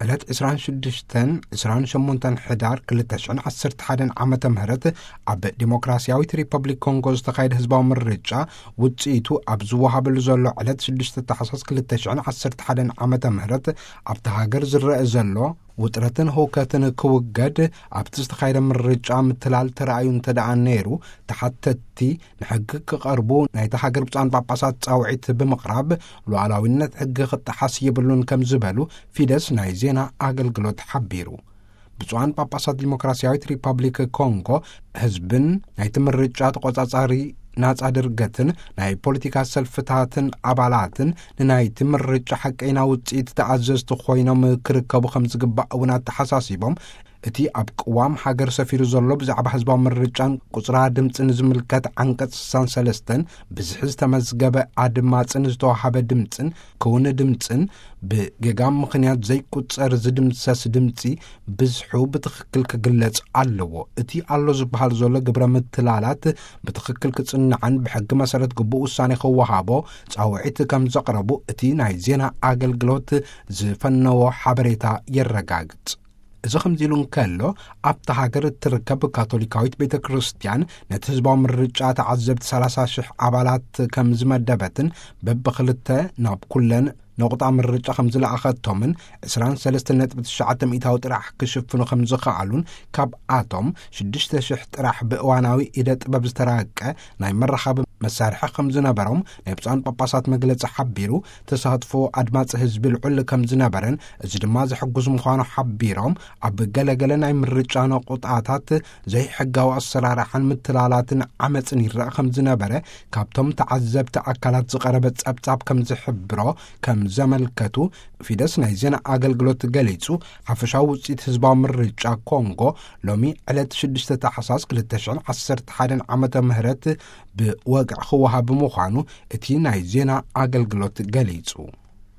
ዕለት ዕስራን ሽዱሽተን፣ ዕስራን ሸሞንተን ሕዳር ክልተ ሽሕን ዓሰርተ ሓደን ዓመተ ምህረት ኣብ ዲሞክራሲያዊት ሪፐብሊክ ኮንጎ ዝተኻየደ ህዝባዊ ምርጫ ውጽኢቱ ኣብ ዝወሃበሉ ዘሎ ዕለት ሽዱሽተ ታሕሳስ ክልተ ሽሕን ዓሰርተ ሓደን ዓመተ ምህረት ኣብቲ ሃገር ዝረአ ዘሎ ውጥረትን ህውከትን ክውገድ ኣብቲ ዝተኻየደ ምርጫ ምትላል ተራእዩ እንተ ደኣ ነይሩ፣ ተሓተትቲ ንሕጊ ክቐርቡ ናይታ ሃገር ብፁዓን ጳጳሳት ጻውዒት ብምቕራብ ሉዓላዊነት ሕጊ ክጠሓስ የብሉን ከም ዝበሉ ፊደስ ናይ ዜና ኣገልግሎት ሓቢሩ። ብፁዓን ጳጳሳት ዲሞክራሲያዊት ሪፐብሊክ ኮንጎ ህዝብን ናይቲ ምርጫ ተቖጻጻሪ ናጻ ድርገትን ናይ ፖለቲካ ሰልፍታትን ኣባላትን ንናይቲ ምርጫ ሓቀይና ውጽኢት ተኣዘዝቲ ኮይኖም ክርከቡ ከም ዝግባእ እውን ኣተሓሳሲቦም፣ እቲ ኣብ ቅዋም ሃገር ሰፊሩ ዘሎ ብዛዕባ ህዝባዊ ምርጫን ቁጽራ ድምጽን ዝምልከት ዓንቀጽ ስሳን ሰለስተን ብዝሒ ዝተመዝገበ ኣድማጽን ዝተዋሃበ ድምጽን ክውን ድምጽን ብጌጋ ምኽንያት ዘይቁጸር ዝድምሰስ ድምጺ ብዝሑ ብትኽክል ክግለጽ ኣለዎ። እቲ ኣሎ ዝበሃል ዘሎ ግብረ ምትላላት ብትኽክል ክጽናዕን ብሕጊ መሰረት ግቡእ ውሳኔ ክወሃቦ ጻውዒት ከም ዘቕረቡ እቲ ናይ ዜና ኣገልግሎት ዝፈነዎ ሓበሬታ የረጋግጽ። እዚ ከምዚ ኢሉ እንከሎ፣ ኣብታ ሃገር እትርከብ ካቶሊካዊት ቤተ ክርስቲያን ነቲ ህዝባዊ ምርጫ ተዓዘብቲ ሰላሳ ሽሕ ኣባላት ከም ዝመደበትን በብኽልተ ናብ ኩለን ነቑጣ ምርጫ ከም ዝለኣኸቶምን ዕስራን ሰለስተን ነጥቢ ትሽዓተ ሚእታዊ ጥራሕ ክሽፍኑ ከም ዝኸኣሉን ካብኣቶም ሽዱሽተ ሽሕ ጥራሕ ብእዋናዊ ኢደ ጥበብ ዝተራቀ ናይ መራኸቢ መሳርሒ ከም ዝነበሮም ናይ ብፁዓን ጳጳሳት መግለጺ ሓቢሩ፣ ተሳትፎ ኣድማጺ ህዝቢ ልዑል ከም ዝነበረን እዚ ድማ ዘሕጉስ ምዃኑ ሓቢሮም፣ ኣብ ገለገለ ናይ ምርጫ ነቑጣታት ዘይሕጋዊ ኣሰራርሓን ምትላላትን ዓመጽን ይረኣ ከም ዝነበረ ካብቶም ተዓዘብቲ ኣካላት ዝቐረበ ጸብጻብ ከም ዝሕብሮ ከም ዘመልከቱ ፊደስ ናይ ዜና ኣገልግሎት ገሊጹ። ሓፈሻዊ ውጽኢት ህዝባዊ ምርጫ ኮንጎ ሎሚ ዕለት ሽዱሽተ ታሕሳስ ክልተ ሽሕን ዓሰርተ ሓደን ዓመተ ምህረት ብወግዒ ክወሃብ ምዃኑ እቲ ናይ ዜና ኣገልግሎት ገሊጹ።